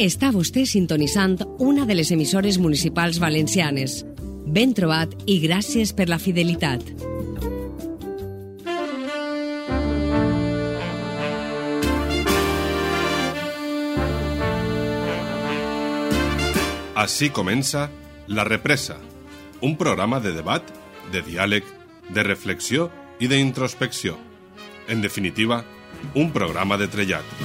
Està vostè sintonitzant una de les emissores municipals valencianes. Ben trobat i gràcies per la fidelitat. Així comença La Represa, un programa de debat, de diàleg, de reflexió i d'introspecció. En definitiva, un programa de trellat.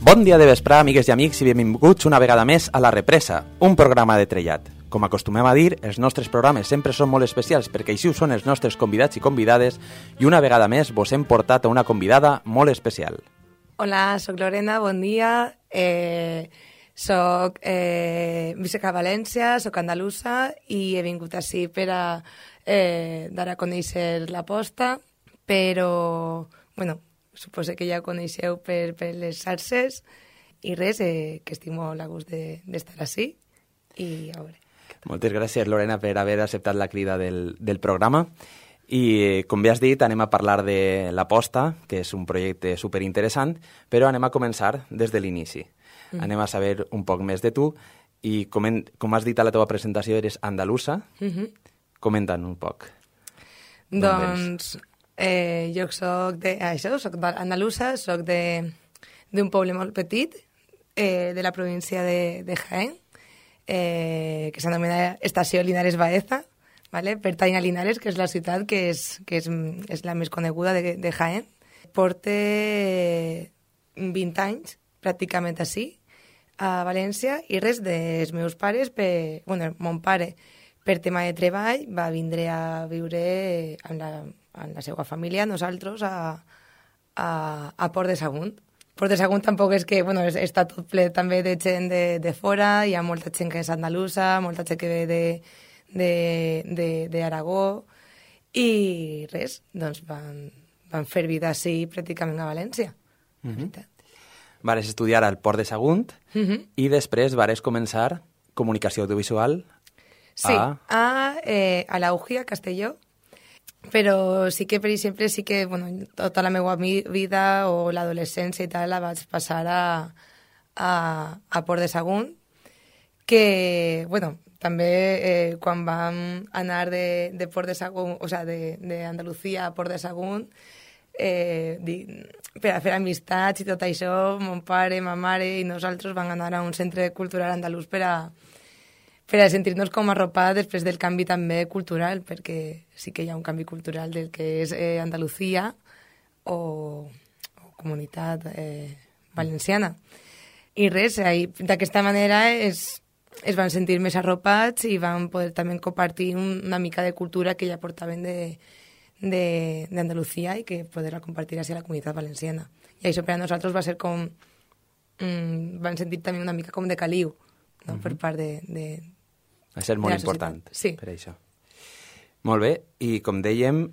Bon dia de vesprà, amigues i amics, i benvinguts una vegada més a La Represa, un programa de trellat. Com acostumem a dir, els nostres programes sempre són molt especials perquè així ho són els nostres convidats i convidades i una vegada més vos hem portat a una convidada molt especial. Hola, soc Lorena, bon dia. Soc visc a València, soc andalusa i he vingut així per a dar a conèixer l'aposta, però, bueno, suposo que ja ho coneixeu per les xarxes i res, que estic molt a gust d'estar així i a veure. Moltes gràcies, Lorena, per haver acceptat la crida del programa. I, com bé has dit, anem a parlar de l'Aposta, que és un projecte superinteressant, però anem a començar des de l'inici. Anem a saber un poc més de tu i, com has dit a la teva presentació, eres andalusa. Comenta'n un poc. Doncs jo soc andalusa, soc d'un poble molt petit de la província de Jaén, que s'anomena Estació Linares Baeza, ¿vale? Pertany a Linares, que és la ciutat que és la més coneguda de Jaén. Porte 20 anys pràcticament així, a València, i res dels meus pares, mon pare, per tema de treball, va vindre a viure amb la seva família, nosaltres, a Port de Sagunt. Port de Sagunt tampoc és que, està tot ple també de gent de fora, hi ha molta gent que és andalusa, molta gent que ve d'Aragó, i res, doncs van fer vida així pràcticament a València. Vares estudiar al Port de Sagunt i després vares començar comunicació audiovisual a la UGI, a Castelló, però sí que, per exemple, tota la meva vida o l'adolescència i tal la vaig passar a Port de Sagunt, que, també quan vam anar de Port de Sagunt, o sigui, d'Andalucía a Port de Sagunt, per a fer amistats i tot això, mon pare, ma mare i nosaltres vam anar a un centre cultural andalús per a sentir-nos com arropada després del canvi també cultural, perquè sí que hi ha un canvi cultural del que és Andalucía o comunitat valenciana. I res, d'aquesta manera es van sentir més arropats i van poder també compartir una mica de cultura que ja portaven d'Andalucía i que poder-la compartir hacia la comunitat valenciana. I això per a nosaltres va ser com... van sentir també una mica com de caliu, no? Per part de va ser molt important, sí. Per això. Molt bé, i com dèiem,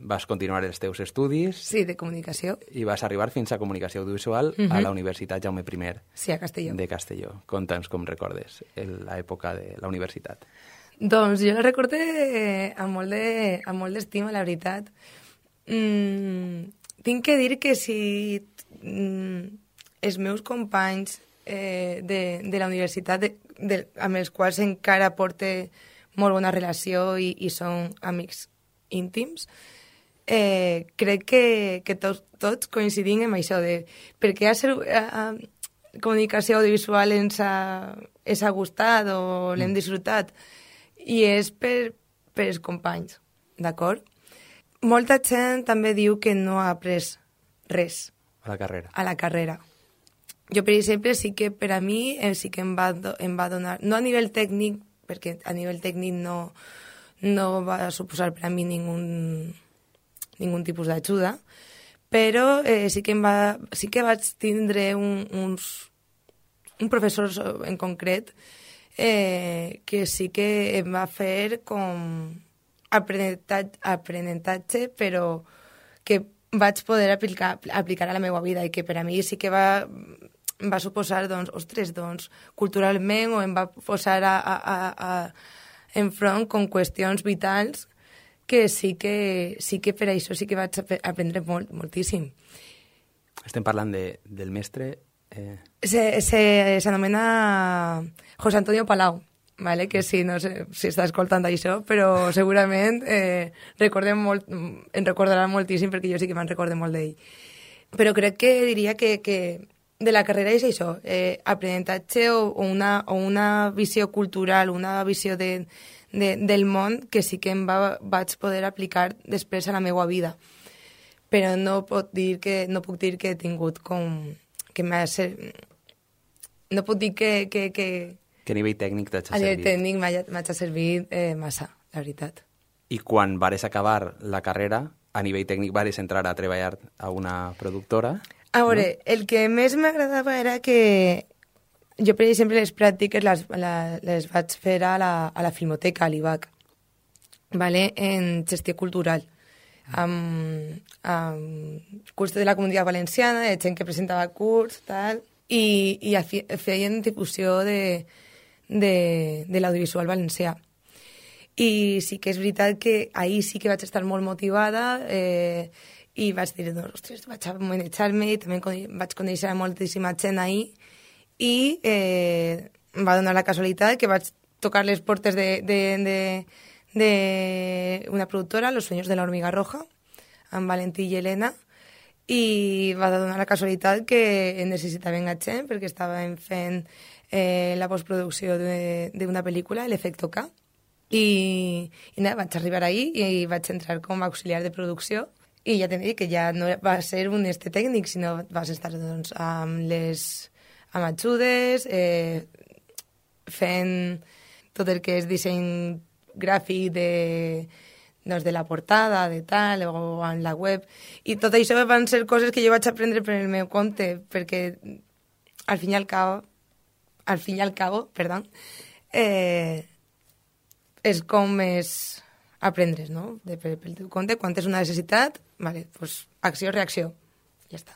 vas continuar els teus estudis... Sí, de comunicació. I vas arribar fins a comunicació audiovisual a la Universitat Jaume I. Sí, a Castelló. De Castelló. Conta'ns com recordes l'època de la universitat. Doncs jo la recorde amb molt d'estima, la veritat. Tinc que dir que si els meus companys de la universitat, amb els quals encara porte molt bona relació i són amics íntims, crec que tots coincidim en això, perquè comunicació audiovisual ens ha gustat o l'hem disfrutat, i és per els companys, d'acord? Molta gent també diu que no ha après res a la carrera. Jo, per exemple, sí que per a mi sí que em va donar, no a nivell tècnic, perquè a nivell tècnic no va suposar per a mi ningun tipus d'ajuda, però sí que vaig tindre un professor en concret que sí que em va fer com aprenentatge, però que vaig poder aplicar a la meva vida i que per a mi sí que va suposar, culturalment, o em va posar enfront com qüestions vitals que sí que per això sí que vaig aprendre moltíssim. Estem parlant del mestre... S'anomena José Antonio Palau, vale? Que sí, no sé si està escoltant això, però segurament en recordarà moltíssim, perquè jo sí que me'n recorde molt d'ell. Però crec que diria que de la carrera és això, aprenentatge o una visió cultural, una visió del món que sí que vaig poder aplicar després a la meva vida. Però no puc dir que he tingut com... No puc dir que a nivell tècnic t'ha servit? A nivell tècnic m'ha servit massa, la veritat. I quan vares acabar la carrera, a nivell tècnic vares entrar a treballar a una productora? A veure, no? El que més m'agradava era que jo, per exemple, les pràctiques les vaig fer a la Filmoteca, a l'IVAC, vale? En gestió cultural, amb curs de la Comunitat Valenciana, de gent que presentava curs, tal, i feien difusió de l'audiovisual valencià. I sí que és veritat que ahir sí que vaig estar molt motivada i vaig dir, ostres, vaig a manejar-me, i també vaig conèixer moltíssima gent ahir, i em va donar la casualitat que vaig tocar les portes d'una productora, Los Sueños de la Hormiga Roja, amb Valentí i Helena, i va donar la casualitat que necessitaven gent perquè estaven fent la postproducció d'una pel·lícula, L'Efecto K, i vaig arribar ahir i vaig entrar com a auxiliar de producció, i ja t'he dit que ja no va ser un tècnic, sinó vas estar amb ajudes, fent tot el que és disseny gràfic de la portada, de tal, o en la web. I tot això van ser coses que jo vaig aprendre per el meu compte, perquè al fin i al cabo, és com és aprendre's, no? Pel teu compte, quan tens una necessitat, vale, pues, acció, reacció, ja està.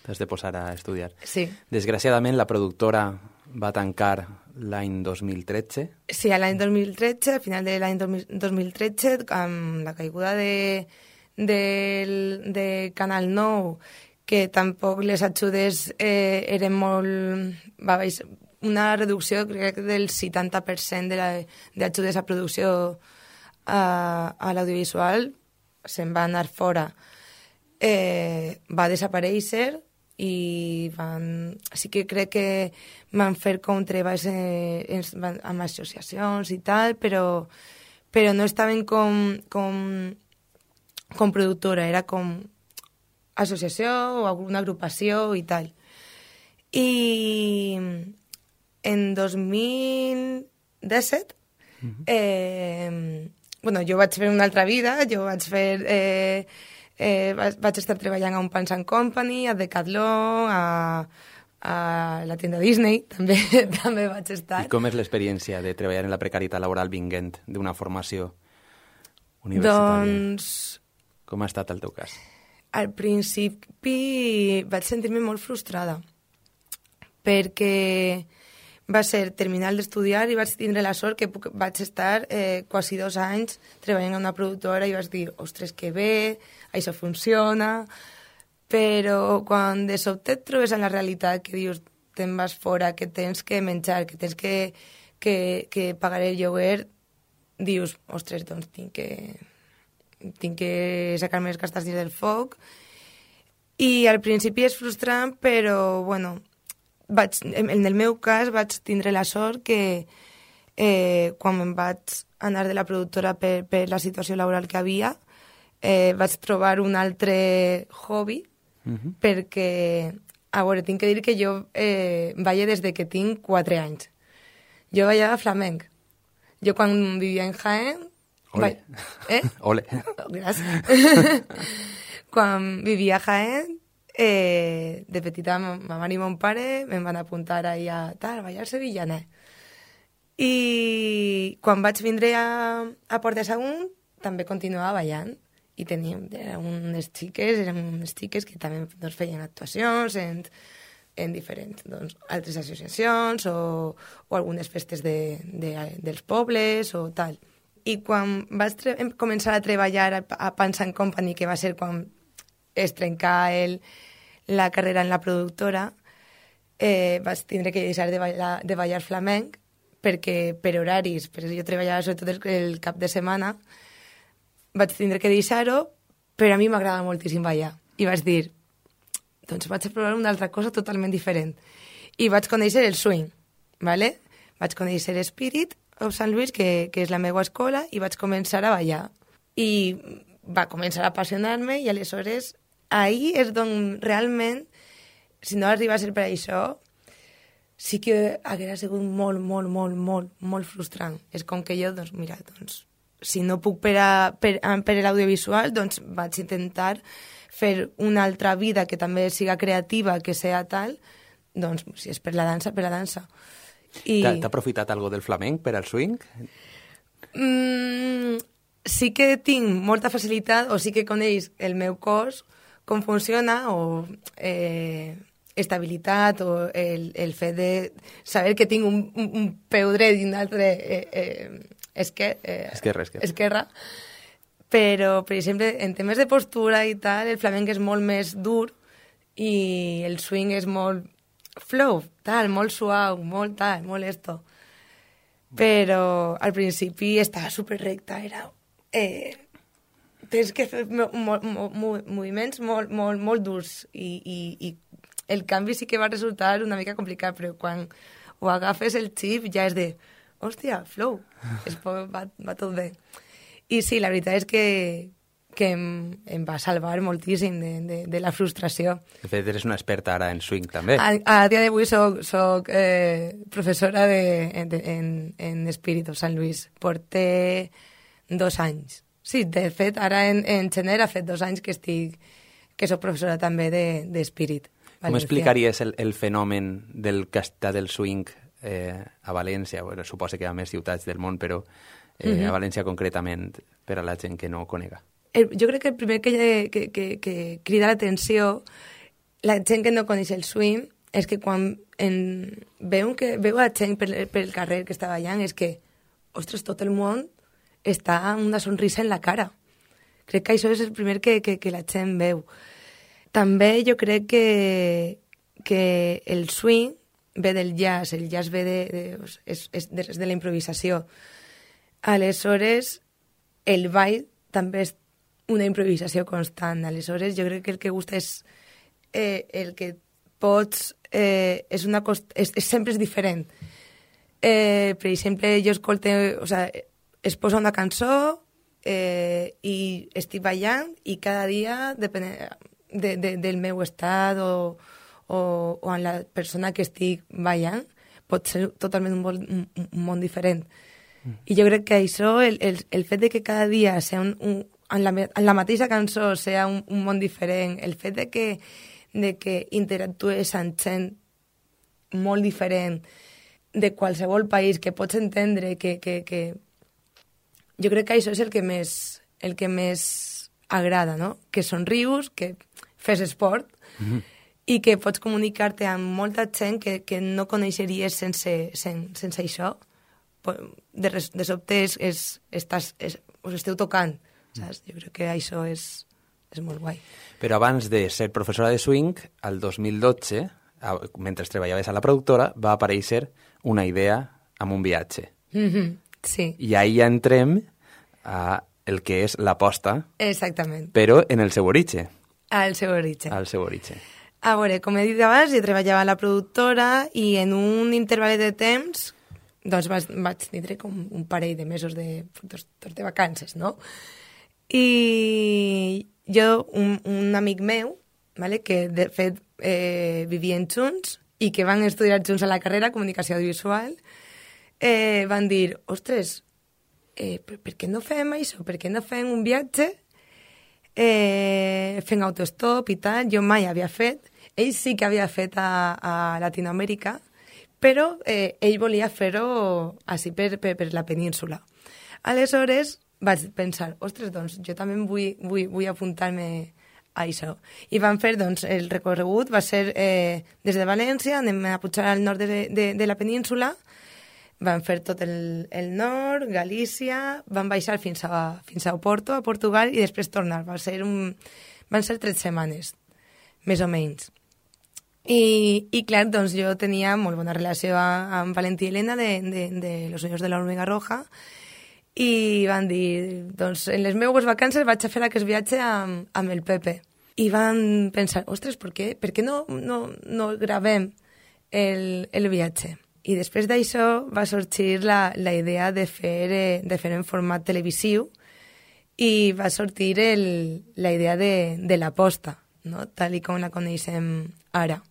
T'has de posar a estudiar. Sí. Desgraciadament, la productora va tancar l'any 2013. Sí, a l'any 2013, al final de l'any 2013, amb la caiguda de Canal 9, que tampoc les ajudes eren molt... Va baixar una reducció, crec, del 70% d'ajudes a producció a l'audiovisual, se'n va anar fora. Va desaparèixer i sí que crec que van fer com treballs amb associacions i tal, però no estaven com productora, era com associació o alguna agrupació i tal. I en 2017 jo vaig fer una altra vida, vaig estar treballant a un Pans & Company, a Decathlon, a la tienda Disney, també vaig estar. I com és l'experiència de treballar en la precarietat laboral vinguent d'una formació universitària? Doncs... Com ha estat el teu cas? Al principi vaig sentir-me molt frustrada, perquè va ser terminar d'estudiar i vaig tindre la sort que vaig estar quasi 2 anys treballant en una productora i vaig dir, ostres, que bé, això funciona, però quan de sobte et trobes en la realitat que dius, te'n vas fora, que tens que menjar, que tens que pagar el lloguer, dius, ostres, doncs tinc que sacar-me les castanyes del foc. I al principi és frustrant, però, bueno, en el meu cas vaig tindre la sort que quan em vaig anar de la productora per la situació laboral que havia, vaig trobar un altre hobby, perquè, a veure, tinc que dir que jo ballo des de que tinc 4 anys. Jo ballava flamenc. Jo quan vivia en Jaén... Ole. Ole. Gràcies. Quan vivia a Jaén, de petita ma mare i mon pare em van apuntar ahí a ballar sevillaner. I quan vaig vindre a Port de Sagunt també continuava ballant i eren unes xiques que també feien actuacions en diferents altres associacions o algunes festes dels pobles o tal. I quan vaig començar a treballar a Pans & Company, que va ser quan es trencà la carrera en la productora, vaig tindre que deixar de ballar flamenc, perquè per horaris, perquè jo treballava sobretot el cap de setmana, vaig tindre que deixar-ho, però a mi m'agrada moltíssim ballar. I vaig dir, doncs vaig a provar una altra cosa totalment diferent. I vaig conèixer el swing, ¿vale? Vaig conèixer Spirit of St. Louis, que és la meva escola, i vaig començar a ballar. I va començar a apassionar-me, i aleshores ahir és on realment, si no arriba a ser per això, sí que hauria sigut molt frustrant. És com que jo, doncs, mira, doncs, si no puc per l'audiovisual, doncs vaig intentar fer una altra vida que també siga creativa, que sea tal, doncs, si és per la dansa, per la dansa. T'ha aprofitat algo del flamenc per al swing? Sí que tinc molta facilitat, o sí que coneix el meu cos, com funciona, o estabilitat, o el fet de saber que tinc un peu dret i un altre esquerra. Però, per exemple, en temes de postura i tal, el flamenc és molt més dur i el swing és molt flow, tal, molt suau, molt esto. Però al principi estava superrecta, era... tens que fer moviments molt durs i el canvi sí que va resultar una mica complicat, però quan ho agafes el xip ja és de, hòstia, flow, va tot bé. I sí, la veritat és que em va salvar moltíssim de la frustració. De fet, eres una experta ara en swing, també. A dia d'avui soc professora en Spirit of St. Louis. Porté 2 anys. Sí, de fet, ara en gener ha fet 2 anys que soc professora també de Spirit. Com explicaries el fenomen del castà del swing a València? Bueno, suposo que hi ha més ciutats del món, però a València concretament, per a la gent que no ho conega. Jo crec que el primer que crida l'atenció, la gent que no coneix el swing, és que quan veu a gent pel carrer que està ballant, és que, ostres, tot el món està amb una sonrisa en la cara. Crec que això és el primer que la gent veu. També jo crec que el swing ve del jazz, el jazz ve de la improvisació. Aleshores, el ball també és una improvisació constant. Aleshores, jo crec que el que gusta és el que pots... sempre és diferent. Per exemple, jo escolto... O sigui, es posa una cançó i estic ballant i cada dia, depenent del meu estat o en la persona que estic ballant, pot ser totalment un món diferent. I jo crec que això, el fet de que cada dia sea en la mateixa cançó sea un món diferent, el fet de que interactues amb gent molt diferent de qualsevol país, que pots entendre que jo crec que això és el que més agrada, no? Que somrius, que fes esport i que pots comunicar-te amb molta gent que no coneixeries sense això. De sobte us esteu tocant, saps? Jo crec que això és molt guai. Però abans de ser professora de swing, al 2012, mentre treballaves a la productora, va aparèixer una idea amb un viatge. Sí. I ahí ja entrem a el que és l'aposta. Exactament. Però en el seu origen. Al seu origen. Al seu origen. A veure, com he dit abans, jo treballava a la productora i en un interval de temps doncs vaig tindre com un parell de mesos de vacances, no? I jo, un amic meu, vale, que de fet vivien junts i que van estudiar junts a la carrera Comunicació Audiovisual, van dir, ostres, per què no fem això? Per què no fem un viatge fent autostop i tal? Jo mai havia fet. Ell sí que havia fet a Latinoamèrica, però ell volia fer-ho així per la península. Aleshores vaig pensar, ostres, doncs jo també vull apuntar-me a això. I vam fer, doncs, el recorregut va ser des de València, anem a pujar al nord de la península, Van fer tot el nord, Galícia, van baixar fins a Oporto, a Portugal, i després tornar. Van ser 3 setmanes, més o menys. I clar, doncs jo tenia molt bona relació amb Valentí i Helena de Los Sueños de la Hormiga Roja, i van dir, doncs en les meves vacances vaig a fer aquest viatge amb el Pepe. I van pensar, ostres, per què no gravem el viatge? I després d'això va sorgir la idea de fer en format televisiu, i va sortir la idea de l'aposta, no? Tal com la coneixem ara.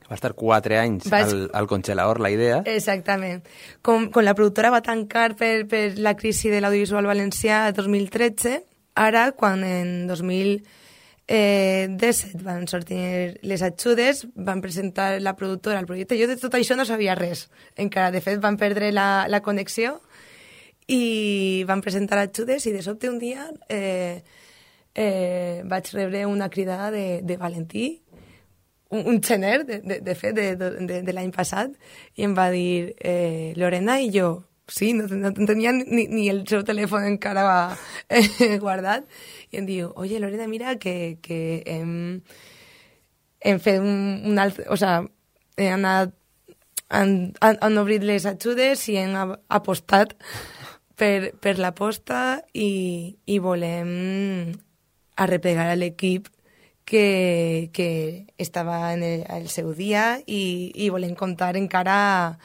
Va estar 4 anys al congelador, la idea. Exactament. Com la productora va tancar per la crisi de l'audiovisual valencià el 2013, ara, quan en 2017 van sortir les ajudes, van presentar la productora al projecte. Jo de tot això no sabia res encara. De fet, van perdre la connexió i van presentar ajudes, i de sobte un dia vaig rebre una cridada de Valentí, un gener, de fet, de l'any passat, i em va dir, Lorena, i jo, sí, no tenia ni el seu telèfon encara guardat, i em diu, oye, Lorena, mira que hem fet un altre... O sea, han obrit les ajudes i hem apostat per l'aposta, i volem arreplegar a l'equip que estava en el seu dia, i volem comptar encara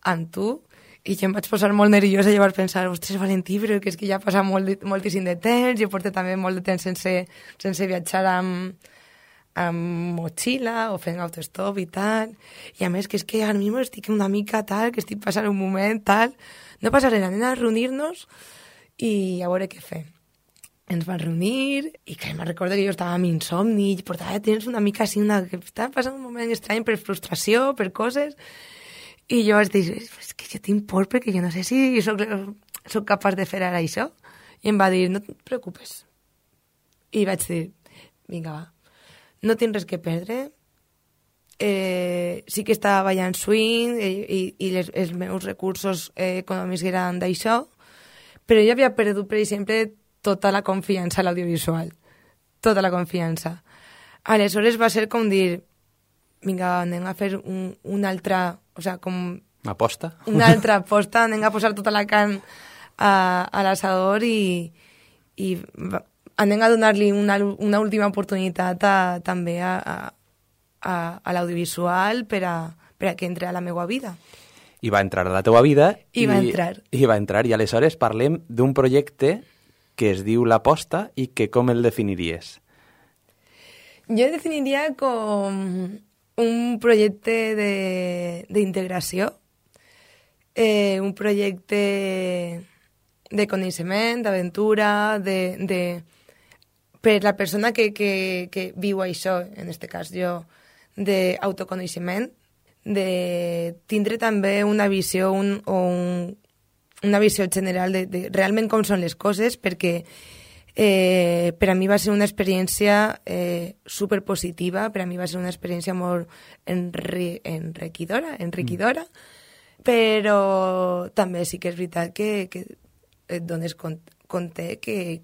amb tu. I jo em vaig posar molt nerviosa, i vaig pensar, ostres, Valentí, però que és que ja passa moltíssim de temps, jo porto també molt de temps sense viatjar amb motxilla o fent autostop i tal, i a més que és que ara mismo estic una mica tal, que estic passant un moment tal, no passa res, anem a reunir-nos i a veure què fem. Ens van reunir, i que me'n recordo que jo estava amb insomni, i portava temps una mica així, que estava passant un moment estrany per frustració, per coses, i jo vaig dir, és que jo tinc por perquè jo no sé si soc capaç de fer ara això. I em va dir, no et preocupes. I vaig dir, vinga, va, no tinc res que perdre, sí que estava ballant swing i els meus recursos econòmics eren d'això, però jo havia perdut, per exemple, tota la confiança a l'audiovisual, tota la confiança. Aleshores va ser com dir, vinga, anem a fer una altra, o sigui, com... Aposta? Una altra aposta, anem a posar tota la carn a l'assador i anem a donar-li una última oportunitat també a l'audiovisual per a que entre a la meva vida. I va entrar a la teva vida. I va entrar. I aleshores parlem d'un projecte que es diu L'Aposta i que com el definiries? Jo el definiria com un projecte d'integració, un projecte de coneixement, d'aventura, per la persona que viu això, en aquest cas jo, d'autoconeixement, de tindre també una visió una visió general de realment com són les coses, perquè per a mi va ser una experiència superpositiva, per a mi va ser una experiència molt enriquidora, però també sí que és veritat que et dones compte que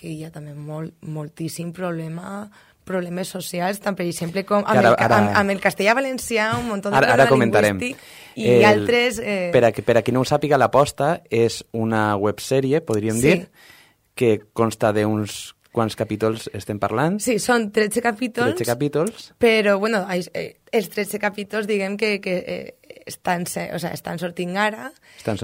hi ha també moltíssim problemes socials, tant per exemple com amb el castellà valencià, un munt de problemes lingüístics i altres... Per a qui no ho sàpiga, L'Aposta és una websèrie, podríem dir, que consta d'uns quants capítols estem parlant? Sí, són 13 capítols. 13 capítols. Però, bueno, els 13 capítols, diguem que estan sortint ara.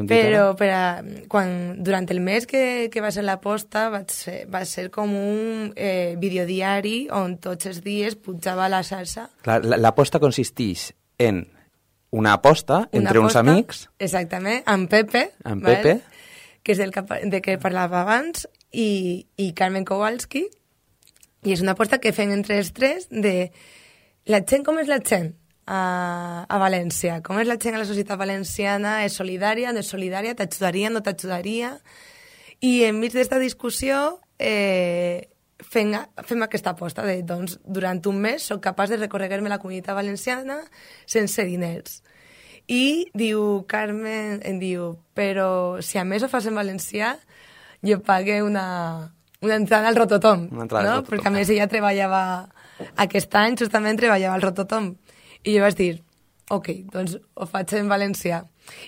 Però durant el mes que va ser l'aposta va ser com un videodiari on tots els dies pujava la salsa. L'aposta consisteix en una aposta entre uns amics. Exactament, amb Pepe. Que és de què parlava abans, i Carmen Kowalski, i és una aposta que fem entre els tres de la gent, com és la gent a València, com és la gent a la societat valenciana, és solidària, no és solidària, t'ajudaria, no t'ajudaria, i enmig d'esta discussió fem aquesta aposta de, doncs, durant un mes soc capaç de recórrer-me la comunitat valenciana sense diners. I diu, Carmen, em diu, però si a més ho fas en valencià, jo pague una entrada al Rototom, Una entrada al no? Rototom. Perquè a més ella treballava, aquest any justament treballava al Rototom. I jo vaig dir, ok, doncs ho faig en valencià.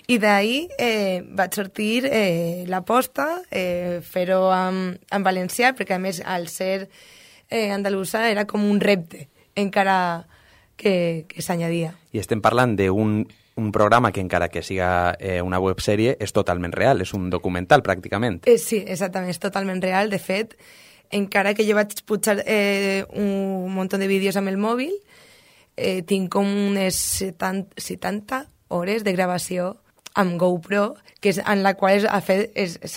I d'ahir vaig sortir l'aposta, fer-ho en valencià, perquè a més al ser andalusa era com un repte, encara que s'añadia. I estem parlant d'un programa que, encara que siga una websèrie, és totalment real, és un documental, pràcticament. Sí, exactament, és totalment real. De fet, encara que jo vaig pujar un munt de vídeos amb el mòbil, tinc com unes 70 hores de gravació amb GoPro, que és en la qual s'ha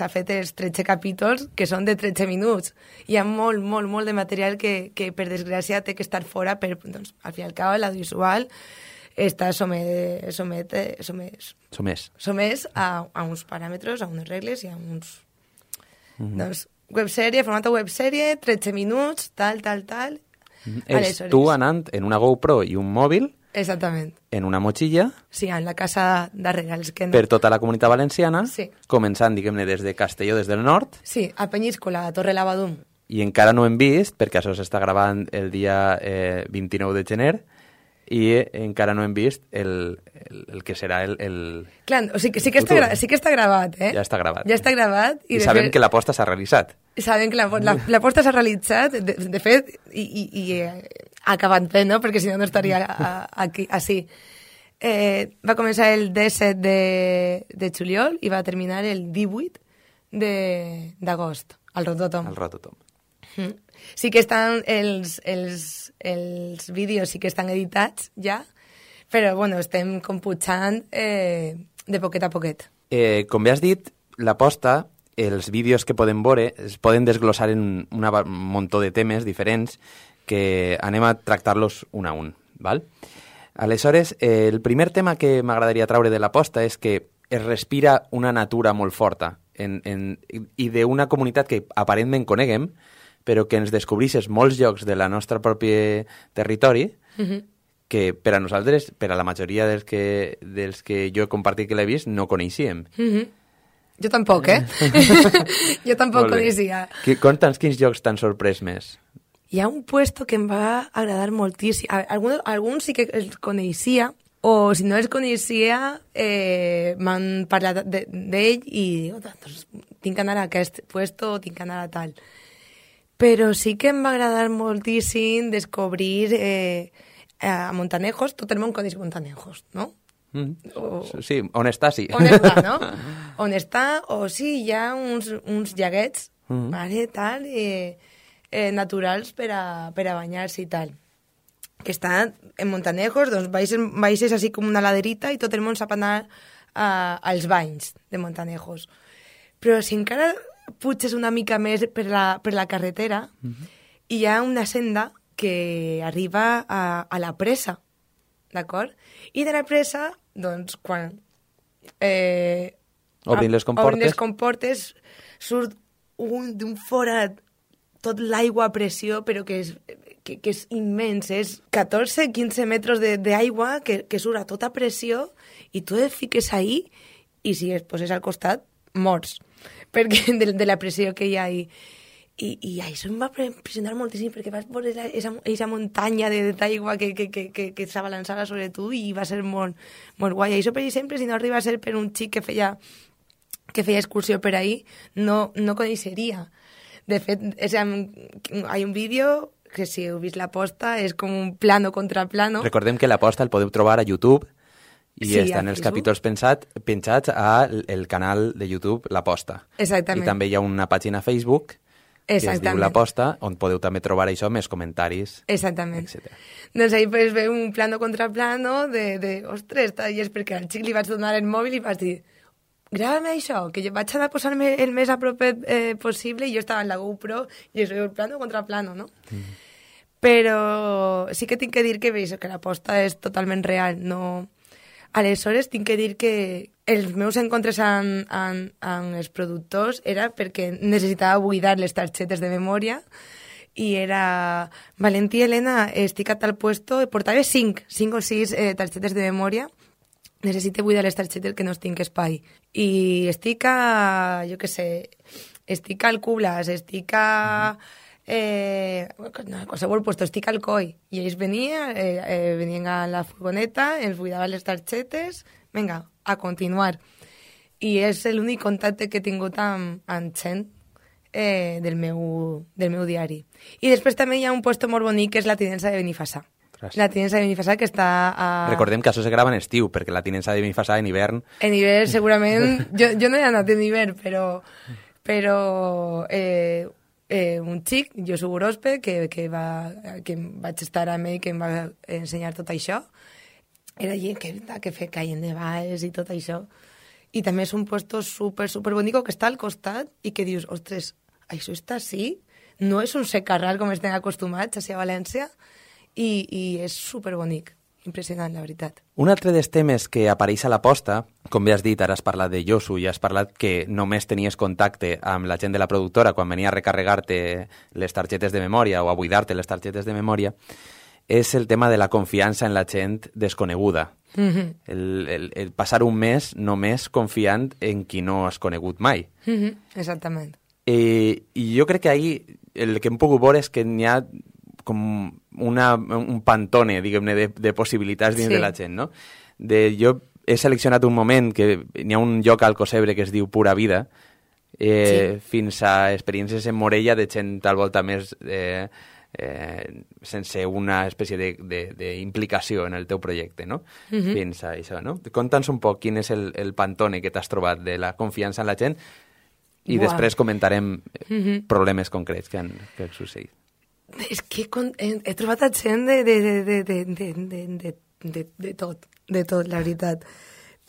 fet els 13 capítols, que són de 13 minuts. Hi ha molt, molt, molt de material que per desgràcia, té que estar fora, doncs, al fi i al cap, l'audiovisual està somès a uns paràmetres, a unes regles i a uns... Doncs, websèrie, format de websèrie, 13 minuts, tal. És tu anant en una GoPro i un mòbil, exactament, en una motxilla, sí, en la casa darrere. per tota la comunitat valenciana, Sí. començant, diguem-ne, des de Castelló, des del nord, Sí, a Penyíscola, a Torre Lavadum. i encara no hem vist, perquè això s'està gravant el dia 29 de gener, i encara no hem vist el que serà el Clar, o sigui, sí que està gravat, eh? Ja està gravat. Ja està gravat. I sabem que l'aposta s'ha realitzat. Sabem que l'aposta s'ha realitzat, de fet, i ha acabat bé, no? Perquè si no, no estaria així. Va començar el 17 de juliol i va terminar el 18 d'agost, al Rototom. El Rototom. Sí que estan els vídeos sí que estan editats ja, però bueno, estem computxant de poquet a poquet. Com bé has dit, l'aposta, els vídeos que podem veure es poden desglossar en un muntó de temes diferents que anem a tractar-los un a un, val? Aleshores, el primer tema que m'agradaria traure de l'aposta és que es respira una natura molt forta i d'una comunitat que aparentment coneguem, però que ens descobreixes molts llocs de la nostra propi territori que per a nosaltres, per a la majoria dels que jo he compartit que l'he vist, no coneixíem. Jo tampoc, Jo tampoc coneixia. Conta'ns quins llocs t'han sorprès més. Hi ha un puesto que em va agradar moltíssim. Alguns sí que els coneixia, o si no els coneixia, m'han parlat d'ell i dic, doncs, tinc que anar a aquest puesto o tinc que anar a tal. Però sí que em va agradar moltíssim descobrir a Montanejos. Tot el món coneix Montanejos, no? Sí, on està, sí. On està, no? On està, o sí, hi ha uns llaguets, vale, tal, naturals per a banyar-se i tal. Que estan en Montanejos, doncs baixes així com una laderita i tot el món sap anar als banys de Montanejos. Però si encara puges una mica més per la carretera, hi ha una senda que arriba a la presa, d'acord? I de la presa, doncs, quan obrin les comportes, surt d'un forat tot l'aigua a pressió, però que és immens, és 14-15 metres d'aigua que surt a tota pressió i tu et fiques ahí i si es poses al costat, morts, perquè de la pressió que hi ha ahí. I això em va impressionar moltíssim perquè vas veure aquesta muntanya d'aigua que s'abalançava sobre tu i va ser molt, molt guai. I això, per exemple, si no arriba a ser per un xic que feia excursió per ahí, no coneixeria. De fet, hi ha un vídeo que si heu vist l'aposta és com un plano contra plano. Recordem que l'aposta el podeu trobar a YouTube i sí, estan els capítols penjats al canal de YouTube L'Aposta. Exactament. I també hi ha una pàgina a Facebook que es diu L'Aposta, on podeu també trobar això, més comentaris, exactament, etc. Doncs ahí pues, ve un plano contra plano ostres, i és perquè al xic li vaig donar el mòbil i vaig dir, grava-me això, que jo vaig anar a posar-me el més a propet possible i jo estava en la GoPro i es veu el plano contra plano, no? Però sí que tinc que dir que l'aposta és totalment real, no... Aleshores, tinc que dir que els meus encontres amb els productors era perquè necessitava buidar les targetes de memòria i era Valentí i Helena, estic a tal puesto, portava 5 o 6 targetes de memòria necessite buidar les targetes que no tinc espai. I estic a, jo què sé, estic al Cublas, estic a... qualsevol puesto, estic al COI. I ells venien a la furgoneta, ens buidaven les targetes, vinga, a continuar. I és l'únic contacte que he tingut amb gent del meu diari. I després també hi ha un puesto molt bonic que és la tinença de Benifassà. La tinença de Benifassà que està a... Recordem que això se grava en estiu, perquè la tinença de Benifassà en hivern... En hivern, segurament... jo no he anat en hivern, però un xic, jo soc Urospe, que vaig estar amb ell, que em va ensenyar tot això, era allí que feia caient de baix i tot això. I també és un puesto super bonic que està al costat i que dius, ostres, això està així? No és un secarral com estem acostumats a València i és super bonic. Impressionant, la veritat. Un altre dels temes que apareix a la posta, com bé has dit, ara has parlat de Josu i has parlat que només tenies contacte amb la gent de la productora quan venia a recarregar-te les targetes de memòria o a buidar-te les targetes de memòria, és el tema de la confiança en la gent desconeguda. El passar un mes només confiant en qui no has conegut mai. Exactament. I jo crec que ahir el que hem pogut veure és que n'hi ha com un pantone, diguem-ne, de possibilitats dins de la gent, no? Jo he seleccionat un moment que n'hi ha un lloc al Cosebre que es diu Pura Vida, fins a experiències en Morella de gent al volta més sense una espècie d'implicació en el teu projecte, no? Fins a això, no? Conta'ns un poc quin és el pantone que t'has trobat de la confiança en la gent i després comentarem problemes concrets que han succeït. És que he trobat a gent de tot, la veritat.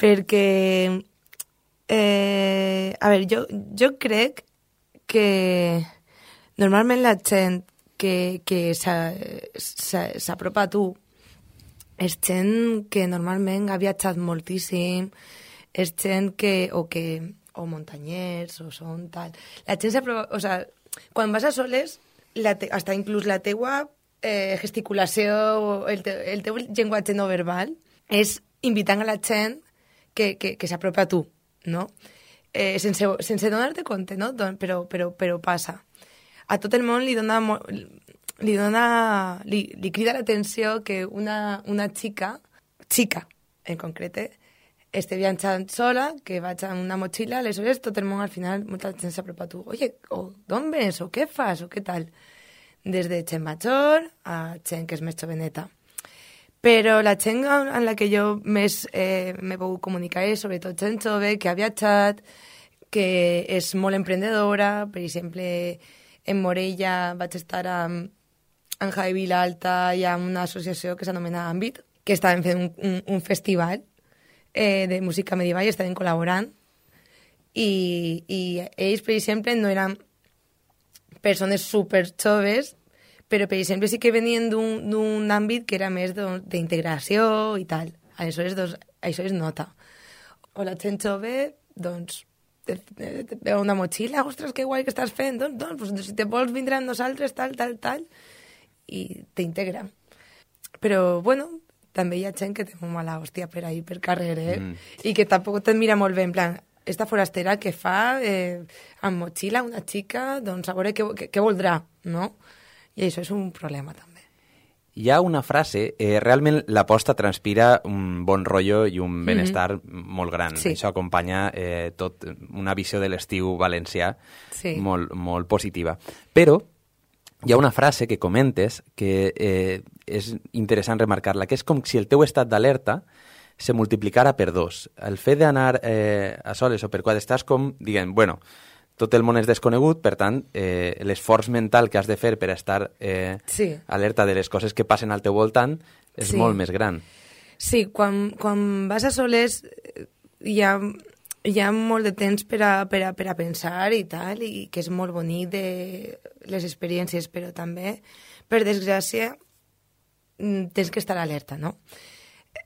Perquè, a veure, jo crec que normalment la gent que s'apropa a tu és gent que normalment ha viatjat moltíssim, és gent o muntanyers, o són tal... La gent s'apropa... O sigui, quan vas a soles... hasta inclús la teua gesticulació, el teu llenguatge no verbal, és invitant a la gent que s'apropa a tu, no? Sense donar-te compte, no? Però passa. A tot el món li crida l'atenció que una xica en concret, esté viatjant sola, que vaig amb una motxilla, aleshores tot el món al final, molta gent s'apropa a tu. Oye, d'on vens? O què fas? O què tal? Des de gent major a gent que és més joveneta. Però la gent amb la que jo més m'he pogut comunicar és sobretot gent jove que ha viatjat, que és molt emprendedora. Per exemple, en Morella vaig estar amb Javi Vilalta i amb una associació que s'anomena Àmbit, que estaven fent un festival de música medieval i estaven col·laborant i ells, per exemple, no eren persones super joves, però, per exemple, sí que venien d'un àmbit que era més d'integració i tal. Aleshores, doncs, això es nota. O la gent jove, doncs, veu una motxilla, ostres, que guai que estàs fent, doncs, si te vols vindre amb nosaltres, tal, i t'integra. Però, bueno, també hi ha gent que té molt mala hòstia per ahir, per carrer, i que tampoc te'n mira molt bé, en plan, esta forastera que fa amb motxilla una xica, doncs a veure què voldrà, no? I això és un problema, també. Hi ha una frase, realment la posta transpira un bon rotllo i un benestar molt gran. Sí. Això acompanya tot una visió de l'estiu valencià molt positiva. Però hi ha una frase que comentes que és interessant remarcar-la, que és com si el teu estat d'alerta se multiplicara per 2. El fet d'anar a soles o per quatre estàs com, diguem, bueno, tot el món és desconegut, per tant, l'esforç mental que has de fer per estar alerta de les coses que passen al teu voltant és molt més gran. Sí, quan vas a soles hi ha molt de temps per a pensar i tal, i que és molt bonic de les experiències, però també, per desgràcia, tens que estar alerta, no?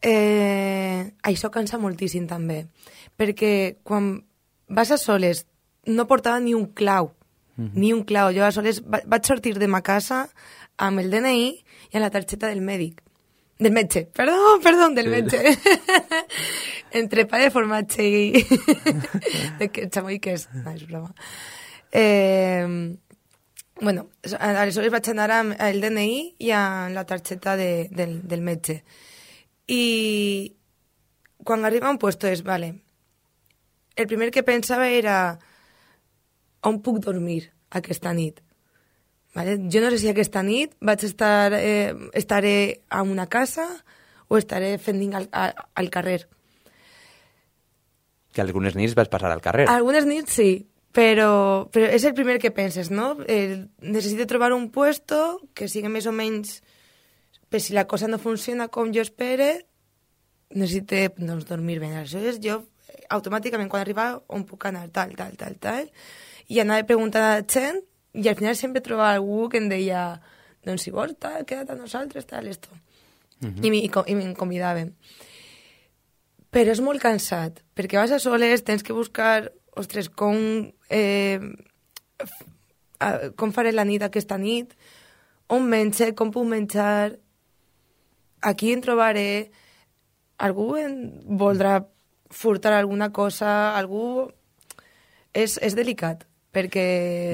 Això cansa moltíssim, també, perquè quan vas a soles no portava ni un clau, ni un clau. Jo a soles vaig sortir de ma casa amb el DNI i amb la targeta del mèdic. Del metge, perdó, del metge. Entre pa de formatge i... de que xamoy que és... No, és broma. Bueno, aleshores vaig anar amb el DNI i amb la targeta del metge. I quan arriba a un puesto és, vale, el primer que pensava era on puc dormir aquesta nit. Vale? Jo no sé si aquesta nit estaré a una casa o estaré fent al carrer. Que algunes nits vas passar al carrer. Algunes nits sí, però és el primer que penses, no? Necessito trobar un puesto que sigui més o menys... Per si la cosa no funciona com jo espere, necessito doncs, dormir bé. Aleshores, jo automàticament, quan arribava, on puc anar, tal, i anava preguntant a la gent, i al final sempre trobava algú que em deia, doncs si vols, tal, queda't a nosaltres, tal, esto. I me'n convidaven. Però és molt cansat, perquè vas a soles, tens que buscar, ostres, com faré la nit aquesta nit, on menjar, com puc menjar, aquí em trobaré, algú em voldrà furtar alguna cosa, algú... És delicat, perquè...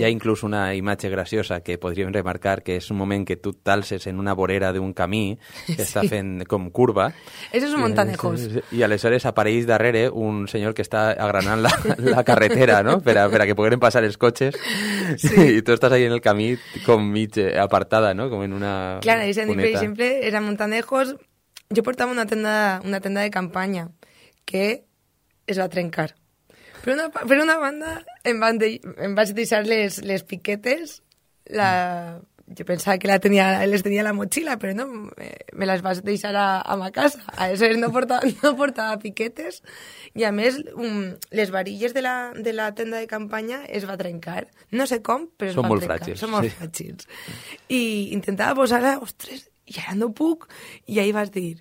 Hi ha inclús una imatge graciosa que podríem remarcar, que és un moment que tu t'alces en una vorera d'un camí que està fent com curva. Eso és un montanejos. I aleshores apareix darrere un senyor que està agranant la carretera, no?, per a que pogueren passar els cotxes. Sí. I tu estàs ahí en el camí com mig apartada, no?, com en una Clar, per exemple, era montanejos. Jo portava una tenda de campanya que es va trencar. Per una banda, em vaig deixar les piquetes, jo pensava que les tenia a la motxilla, però no, me les vaig deixar a ma casa. Aleshores no portava piquetes, i a més les varilles de la tenda de campanya es va trencar. No sé com, però es va trencar. Són molt fràgils. I intentava posar-la, ostres, i ara no puc, i ahir vas dir...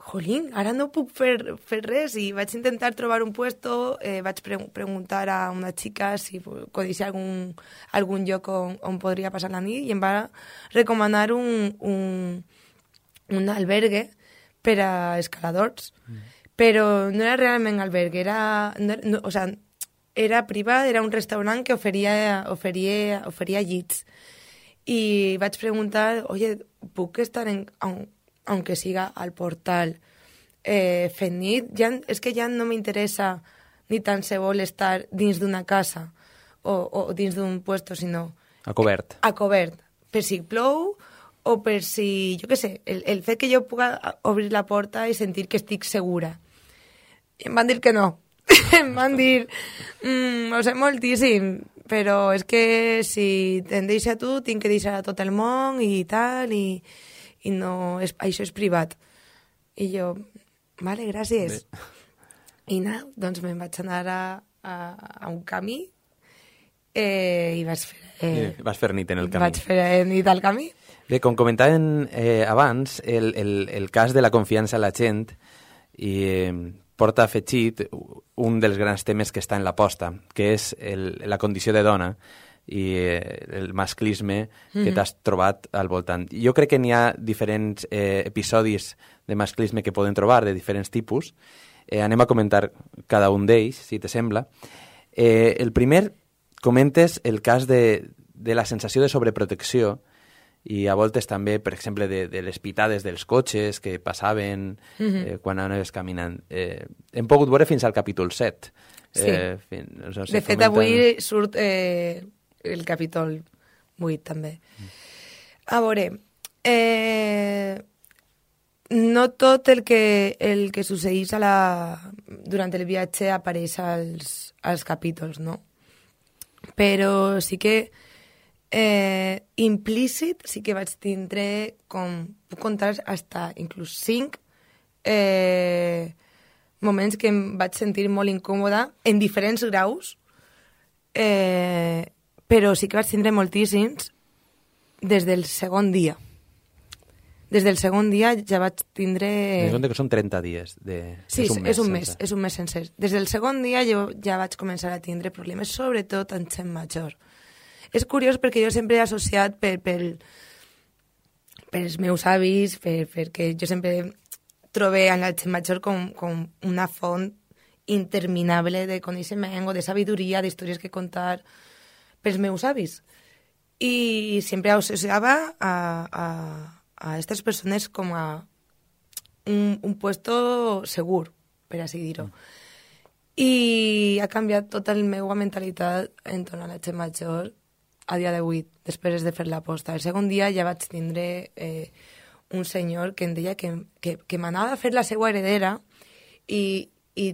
Jolín, ara no puc fer res, i vaig intentar trobar un puesto, vaig preguntar a una xica si coneixia algun lloc on podria passar la nit, i em va recomanar un albergue per a escaladors, però no era realment albergue, era privat, era un restaurant que oferia llits. I vaig preguntar, oye, puc estar aunque siga al portal fent nit, és que ja no m'interessa ni tan se vol estar dins d'una casa o dins d'un puesto, sinó... A cobert. A cobert, per si plou o per si, jo què sé, el fet que jo puga obrir la porta i sentir que estic segura. I em van dir que no. Em van dir, ho sé moltíssim, però és que si te'n deixa tu, tinc que deixar a tot el món i tal, i no, això és privat. I jo, vale, gràcies. I doncs me'n vaig anar a un camí i vaig fer... Vas fer nit en el camí. Vaig fer nit al camí. Bé, com comentàvem abans, el cas de la confiança en la gent porta afegit un dels grans temes que està en l'aposta, que és la condició de dona i el masclisme que t'has trobat al voltant. Jo crec que n'hi ha diferents episodis de masclisme que poden trobar, de diferents tipus. Anem a comentar cada un d'ells, si te sembla. El primer, comentes el cas de la sensació de sobreprotecció i a voltes també, per exemple, de les pitades dels cotxes que passaven quan anaves caminant. Hem pogut veure fins al capítol 7. Sí. De fet, avui surt... el capítol 8, també. A veure, no tot el que succeeix durant el viatge apareix als capítols, no? Però sí que implícit sí que vaig tindre, com puc contar, hasta inclús 5 moments que em vaig sentir molt incòmoda en diferents graus, però sí que vaig tindre moltíssims des del segon dia. Des del segon dia ja vaig tindre... Que són 30 dies. Sí, és un mes sencer. Des del segon dia jo ja vaig començar a tindre problemes, sobretot en gent major. És curiós perquè jo sempre he associat per els meus avis, perquè jo sempre trobé en la gent major com una font interminable de coneixement o de sabidoria, d'històries que contar pels meus avis. I sempre associava a aquestes persones com a un puesto segur, per així dir-ho. I ha canviat tota la meva mentalitat entorn a la gent major a dia d'avui, després de fer l'aposta. El segon dia ja vaig tindre un senyor que em deia que m'anava a fer la seva heredera i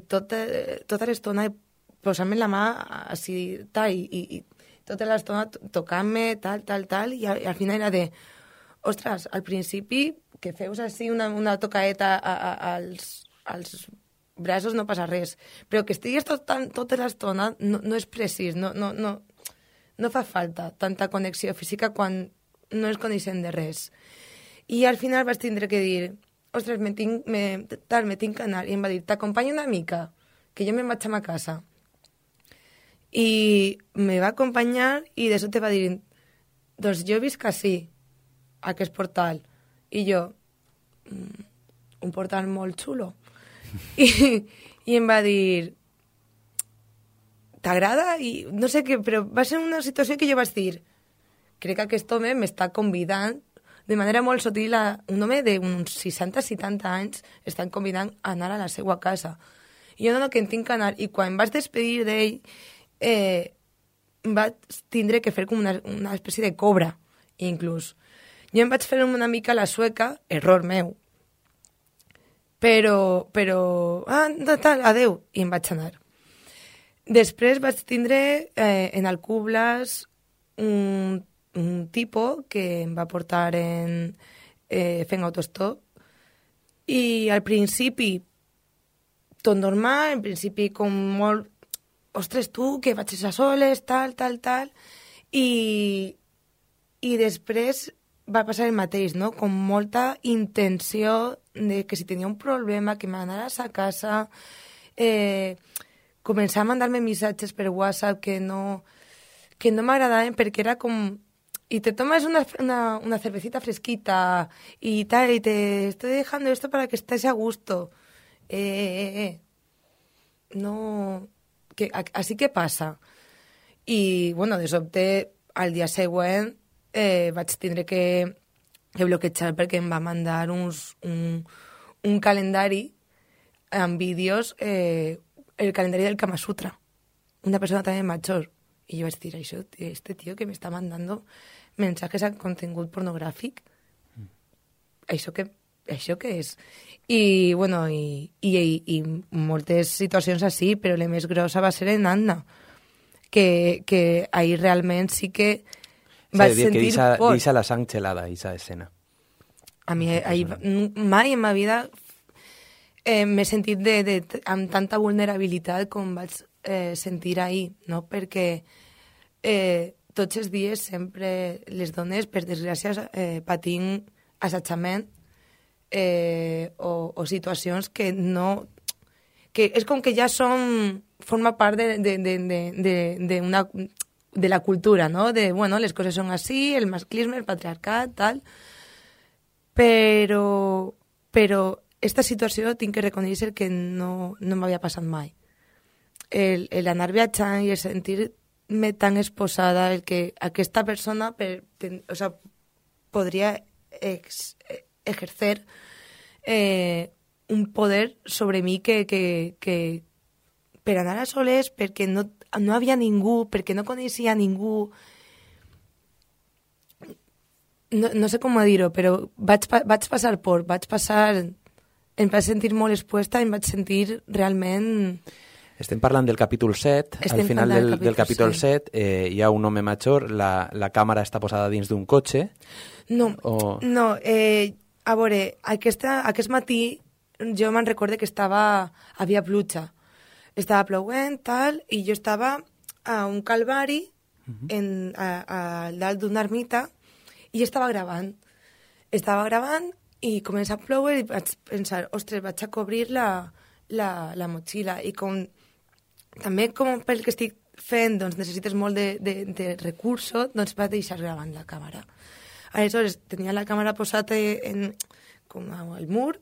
tota l'estona posant-me la mà així, tal, i tota l'estona tocant-me, tal, i al final era de, ostres, al principi que feus així una tocaeta als braços no passa res, però que estiguis tota l'estona no és precís, no fa falta tanta connexió física quan no es coneixen de res. I al final vaig tindre que dir, ostres, me tinc que anar, i em va dir, t'acompanyo una mica, que jo me'n vaig a ma casa. I me va acompanyar i de sobte va dir, doncs jo visc així, a aquest portal. I jo, un portal molt xulo. I em va dir, t'agrada? I no sé què, però va ser una situació que jo vaig dir, crec que aquest home m'està convidant de manera molt sutil un home d'uns 60-70 anys estan convidant a anar a la seva casa. I jo no, que en tinc que anar. I quan em vaig despedir d'ell, vaig tindre que fer com una espècie de cobra, inclús. Jo em vaig fer una mica la sueca, error meu, però tal, adeu, i em vaig anar. Després vaig tindre en Alcubles un tipus que em va portar fent autostop i al principi tot normal, en principi com molt ostres tu, que vaig a soles, tal, i després va passar el mateix, no? Com molta intenció de que si tenia un problema, que m'anares a casa, començar a mandar-me missatges per WhatsApp que no m'agradaven perquè era com y te tomas una cervecita fresquita y tal, y te estoy dejando esto para que estés a gusto. No, así que passa. I, bueno, de sobte, al dia següent, vaig tindre que bloquejar perquè em va mandar un calendari amb vídeos, el calendari del Kama Sutra. Una persona també major. I jo vaig dir, això, este tío que me está mandando mensajes a contingut pornogràfic, això què és? I, bueno, i moltes situacions així, però la més grossa va ser en Anna, que ahir realment sí que vaig sentir por. Deixa la sang gelada, aquesta escena. A mi mai en ma vida m'he sentit amb tanta vulnerabilitat com vaig sentir ahir, no? Perquè tots els dies sempre les dones, per desgràcia, patim assetjament o situacions que no... que és com que ja forma part de la cultura, no? De, bueno, les coses són així, el masclisme, el patriarcat, tal... Però esta situació tinc que reconèixer que no m'havia passat mai. L'anar viatjant i el sentir-me tan exposada, el que aquesta persona podria ejercer un poder sobre mi que per anar a soles, perquè no havia ningú, perquè no coneixia ningú. No sé com dir-ho, però vaig passar por, em vaig sentir molt expuesta, em vaig sentir realment... Estem parlant del capítol 7. Al final del capítol 7 hi ha un home major, la càmera està posada dins d'un cotxe. No, a veure, aquest matí jo me'n recorde que havia pluja. Estava ploguent, tal, i jo estava a un calvari a dalt d'una ermita i estava gravant. I comença a ploure i vaig pensar, ostres, vaig a cobrir la motxilla. I també com pel que estic fent doncs, necessites molt de recursos, doncs vaig deixar gravant la càmera. Aleshores, tenia la càmera posada com al mur,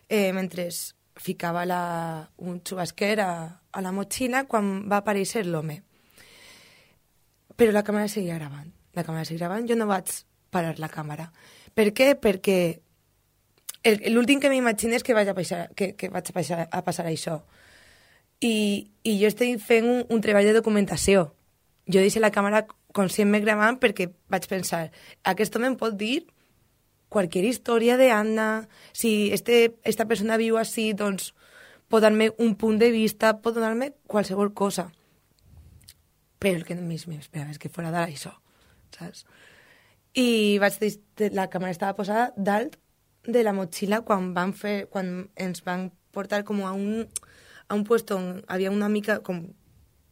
mentre ficava un xubasquer a la motxilla quan va aparèixer l'home. Però la càmera seguia gravant. Jo no vaig parar la càmera. Per què? Perquè l'últim que m'imagino és que vaig a passar això. I jo estic fent un treball de documentació. Jo deixo la càmera conscientment gravant perquè vaig pensar, aquest home em pot dir qualsevol història d'Anna, si esta persona viu així, doncs pot donar-me un punt de vista, pot donar-me qualsevol cosa. Però el que més m'esperava és que fos d'això, saps? I la càmera estava posada dalt de la motxilla quan ens van portar com a un puesto on havia una mica com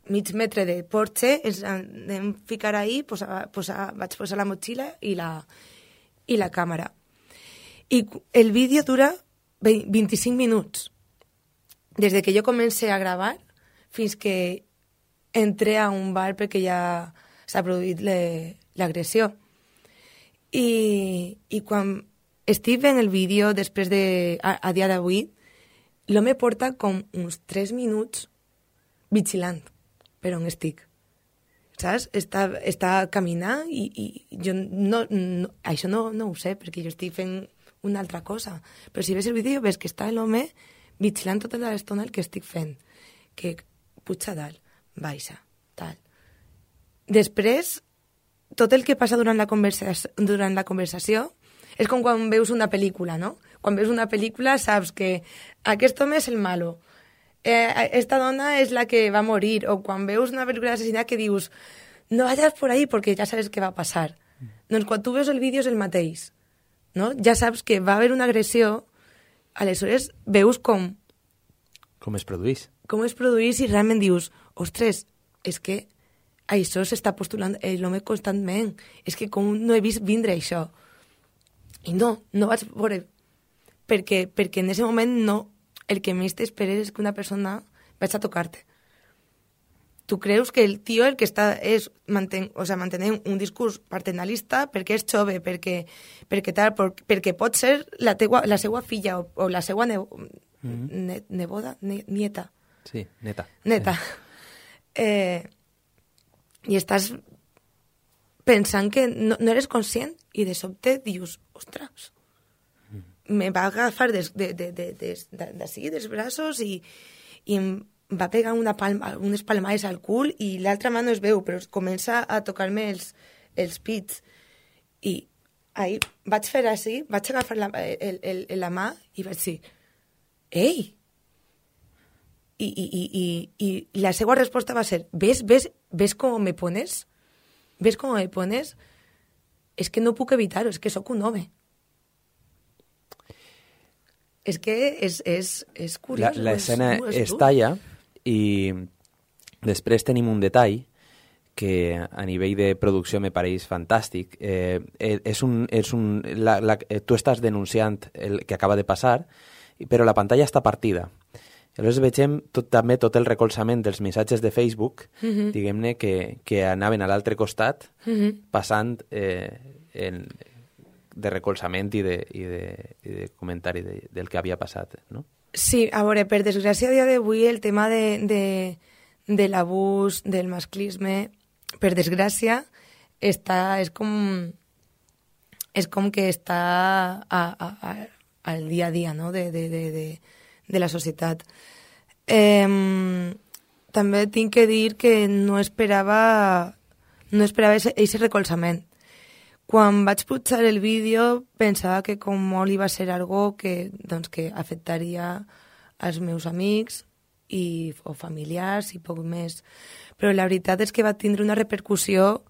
mig metre de porxe, ens vam ficar ahí, vaig posar la motxilla i la càmera. I el vídeo dura 25 minuts. Des que jo comencé a gravar fins que entré a un bar perquè ja s'ha produït l'agressió. I quan estic fent el vídeo, després a dia d'avui, l'home porta com uns 3 minuts vigilant per on estic. Saps? Està caminant i jo això no ho sé, perquè jo estic fent una altra cosa. Però si ves el vídeo ves que està l'home vigilant tota l'estona el que estic fent. Que puja dalt, baixa, tal. Després, tot el que passa durant la conversació és com quan veus una pel·lícula, no? Quan veus una pel·lícula saps que aquest home és el malo, esta dona és la que va morir, o quan veus una pel·lícula d'assassinat que dius no vayas por ahí perquè ja sabes què va passar. Doncs quan tu veus el vídeo és el mateix, no? Ja saps que va haver una agressió, aleshores veus com es produeix. Com es produeix i realment dius, ostres, és que això s'està postulant l'home constantment, és que com no he vist vindre això. I no vaig veure, perquè en aquest moment no, el que més t'esperes és que una persona vaig a tocar-te. Tu creus que el tio el que està mantenint un discurs paternalista perquè és jove, perquè pot ser la seva filla o la seva neboda, nieta. Sí, neta. I estàs pensant que no eres conscient i de sobte dius, ostres, me va agafar d'ací, dels braços i em va pegar unes palmades al cul i l'altra mà no es veu, però comença a tocar-me els pits. I ahí vaig fer així, vaig agafar la mà i vaig dir, ei! I la seva resposta va ser, ¿ves com me pones? ¿Ves com me pones? És que no puc evitar-ho, és que sóc un home. És que és curiós. L'escena es talla i després tenim un detall que a nivell de producció me pareix fantàstic. Tu estàs denunciant el que acaba de passar, però la pantalla està partida. Aleshores veiem també tot el recolzament dels missatges de Facebook, diguem-ne, que anaven a l'altre costat, passant de recolzament i de comentari del que havia passat, no? Sí, a veure, per desgràcia, a dia d'avui el tema de l'abús, del masclisme, per desgràcia, és com que està al dia a dia, no?, de la societat. També tinc que dir que no esperava aquest recolzament. Quan vaig pujar el vídeo pensava que com molt iba a ser algo que afectaria als meus amics o familiars i poc més. Però la veritat és que va tindre una repercussió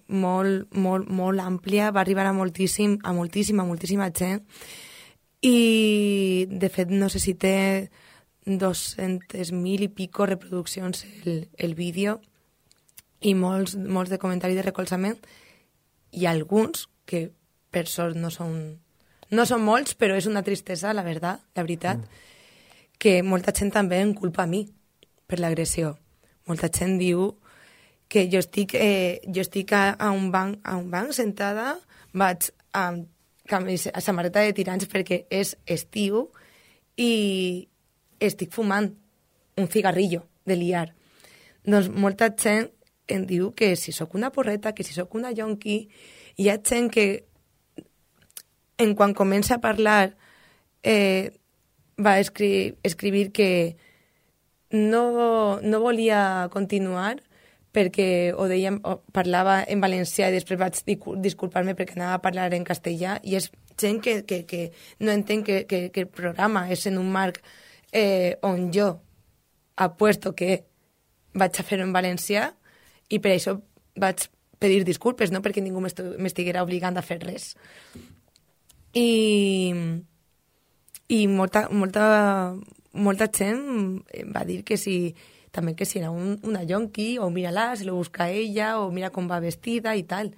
molt àmplia, va arribar a moltíssima gent. I, de fet, no sé si té 200.000 i pico reproduccions el vídeo i molts de comentaris de recolzament i alguns que, per sort, no són molts, però és una tristesa, la veritat, que molta gent també em culpa a mi per l'agressió. Molta gent diu que jo estic a un banc sentada, vaig amb samarreta de tirants perquè és estiu i estic fumant un cigarrillo de liar. Doncs molta gent em diu que si sóc una porreta, que si sóc una yonqui, hi ha gent que en quan comença a parlar va escribir que no volia continuar perquè parlava en valencià i després vaig disculpar-me perquè anava a parlar en castellà, i és gent que no entén que el programa és en un marc on jo apuesto que vaig a fer-ho en valencià i per això vaig pedir disculpes, no perquè ningú m'estiguera obligant a fer res. I molta gent va dir que si era una yonqui, o mira-la, se lo busca ella, o mira com va vestida i tal.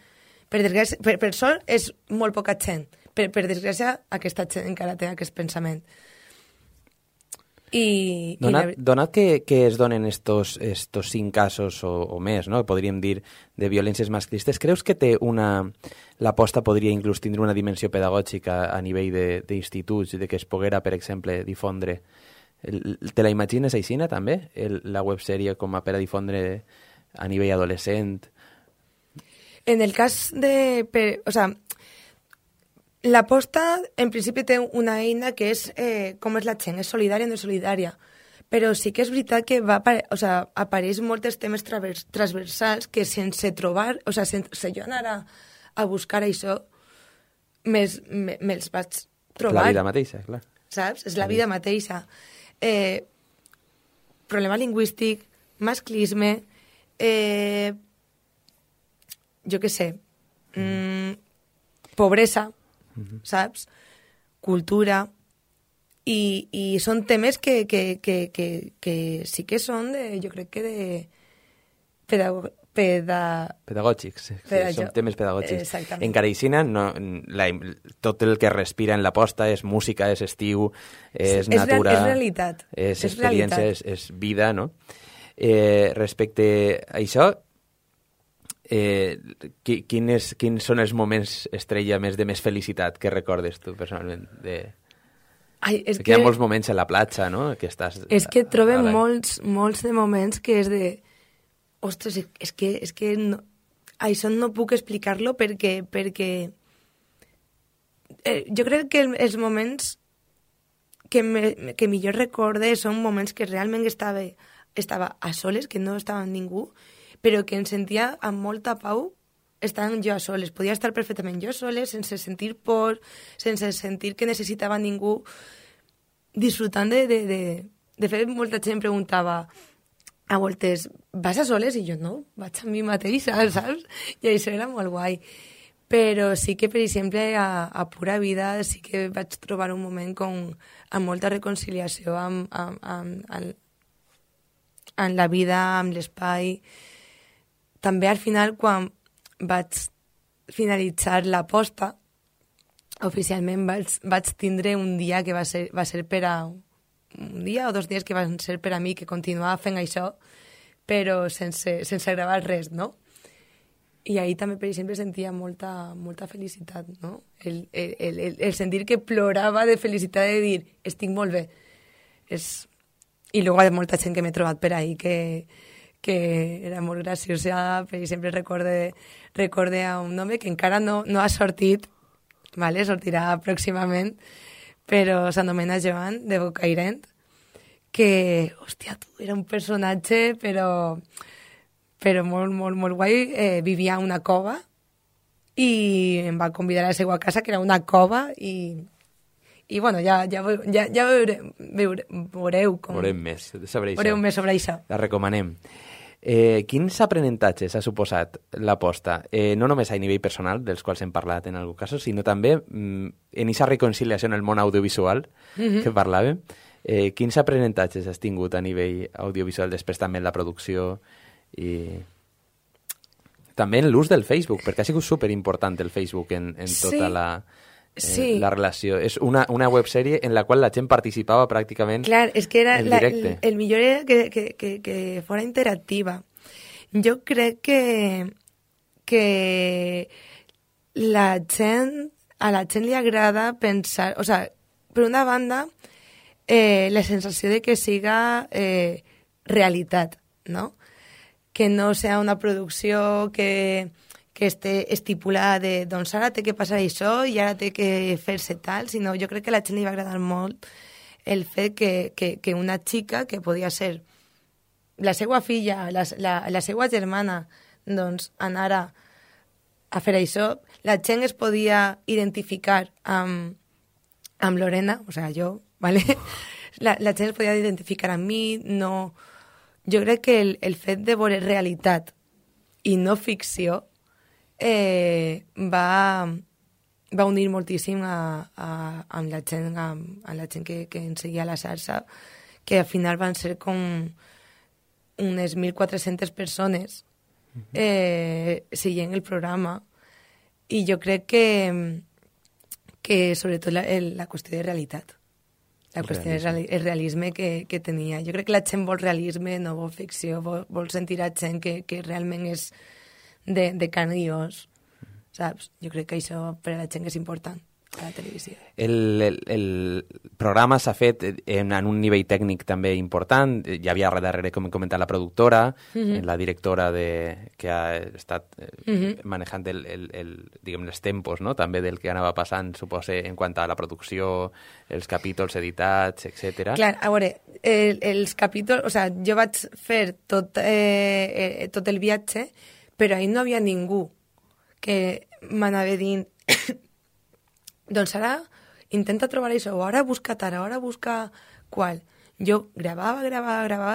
Per sort és molt poca gent. Per desgràcia, aquesta gent encara té aquest pensament. Donat que es donen estos 5 casos o més, no?, podríem dir, de violències masclistes, creus que l'aposta podria inclús tindre una dimensió pedagògica a nivell d'instituts, de que es poguera, per exemple, difondre? Te la imagines aixina, també? La websèrie com a per a difondre a nivell adolescent? En el cas l'aposta, en principi, té una eina que és com és la gent, és solidària o no és solidària. Però sí que és veritat que apareix molts temes transversals que sense trobar, sense jo anar a buscar això, me'ls vaig trobar. La vida mateixa, clar. Saps? És la vida mateixa. Problema lingüístic, masclisme, jo què sé, pobresa, saps? Cultura, i són temes que sí que són jo crec que pedagògics, són temes pedagògics. Exactament. En Careixina tot el que respira en l'aposta és música, és estiu, és natura, és realitat, és experiència, és vida, no? Respecte a això, quins són els moments estrella de més felicitat que recordes tu personalment? Perquè hi ha molts moments a la platja, no? Que estàs... És que trobem molts de moments que és de... Ostres, és que no, això no puc explicar-lo perquè jo crec que els moments que millor recorde són moments que realment estava a soles, que no estava amb ningú, però que em sentia amb molta pau estant jo a soles. Podia estar perfectament jo soles, sense sentir por, sense sentir que necessitava ningú, disfrutant de fet, molta gent preguntava a voltes, vas a soles? I jo, no, vaig amb mi mateixa, saps? I això era molt guai. Però sí que, per exemple, a Pura Vida sí que vaig trobar un moment amb molta reconciliació amb la vida, amb l'espai. També al final, quan vaig finalitzar l'aposta, oficialment vaig tindre un dia que va ser per a... un dia o 2 dies que van ser per a mi, que continuava fent això, però sense gravar res, no? I ahir també, per exemple, sentia molta felicitat, no? El sentir que plorava de felicitat de dir, estic molt bé. I luego hi ha molta gent que m'he trobat per ahir que era molt graciosa. Per exemple, recorde a un home que encara no ha sortit, vale? Sortirà pròximament, però s'anomena Joan, de Bocairent, que, hòstia, era un personatge, però molt guai. Vivia a una cova i em va convidar a la seva casa, que era una cova, i bueno, ja veureu com... Veurem més sobre això. Veureu més sobre això. La recomanem. Quins aprenentatges ha suposat l'aposta? No només a nivell personal, dels quals hem parlat en algun cas, sinó també en aquesta reconciliació en el món audiovisual que parlàvem. Quins aprenentatges has tingut a nivell audiovisual, després també en la producció i també en l'ús del Facebook, perquè ha sigut superimportant el Facebook en tota la relació. És una websèrie en la qual la gent participava pràcticament en directe. El millor era que fora interactiva. Jo crec que a la gent li agrada pensar... O sea, per una banda, la sensació de que siga realitat, no? Que no sea una producció que esté estipulada de doncs ara té que passar això i ara té que fer-se tal, sinó jo crec que a la gent li va agradar molt el fet que una xica que podia ser la seva filla, la seva germana, doncs anara a fer això, la gent es podia identificar amb Lorena, o sigui, jo, ¿vale? La gent es podia identificar amb mi, no... Jo crec que el fet de veure realitat i no ficció va unir moltíssim amb la gent que ens seguia a la xarxa, que al final van ser com unes 1.400 persones seguint el programa, i jo crec que sobretot la qüestió de realitat, la qüestió del realisme que tenia. Jo crec que la gent vol realisme, no vol ficció, vol sentir a gent que realment és de carn i os, saps? Jo crec que això per a la gent és important a la televisió. El programa s'ha fet en un nivell tècnic també important. Hi havia darrere, com hem comentat, la productora, la directora que ha estat manejant diguem, els tempos, no? També del que anava passant, suposo, en quant a la producció, els capítols editats, etc. Clar, a veure, els capítols... O sigui, jo vaig fer tot el viatge, però ahir no havia ningú que m'anava dient doncs ara intenta trobar això, o ara busca tara, o ara busca qual. Jo gravava,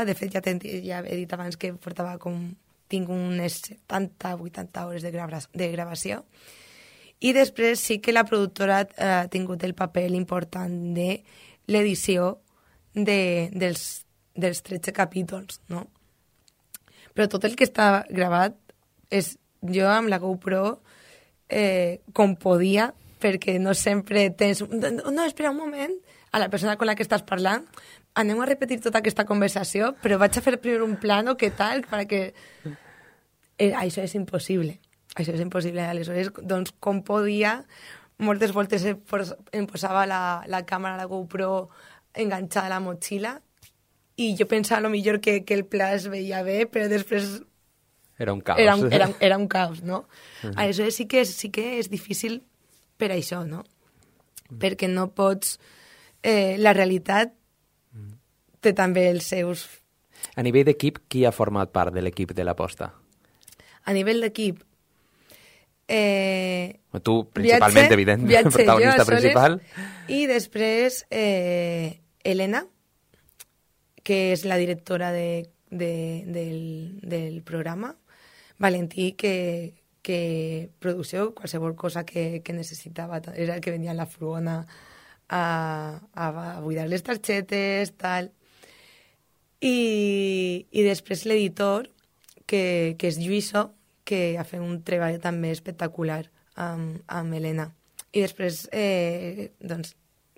de fet ja he dit abans que tinc unes 70-80 hores de gravació, i després sí que la productora ha tingut el paper important de l'edició dels 13 capítols, no? Però tot el que està gravat és jo amb la GoPro com podia, perquè no sempre tens... No, espera un moment, a la persona con la que estàs parlant, anem a repetir tota aquesta conversació, però vaig a fer primer un plano, què tal, perquè... Això és impossible. Això és impossible. Aleshores, doncs, com podia, moltes voltes em posava la càmera, la GoPro, enganxada a la motxilla, i jo pensava a lo millor que el pla es veia bé, però després... Era un caos. Era un caos, no? Aleshores sí que és difícil per això, no? Perquè no pots... la realitat té també els seus... A nivell d'equip, qui ha format part de l'equip de l'Aposta? A nivell d'equip... tu, principalment, evident, protagonista principal. I després, Elena, que és la directora del programa, Valentí, que producció, qualsevol cosa que necessitava, era el que venia a la furgona a buidar les targetes, tal. I després l'editor, que és Lluïso, que ha fet un treball també espectacular amb Helena. I després, doncs,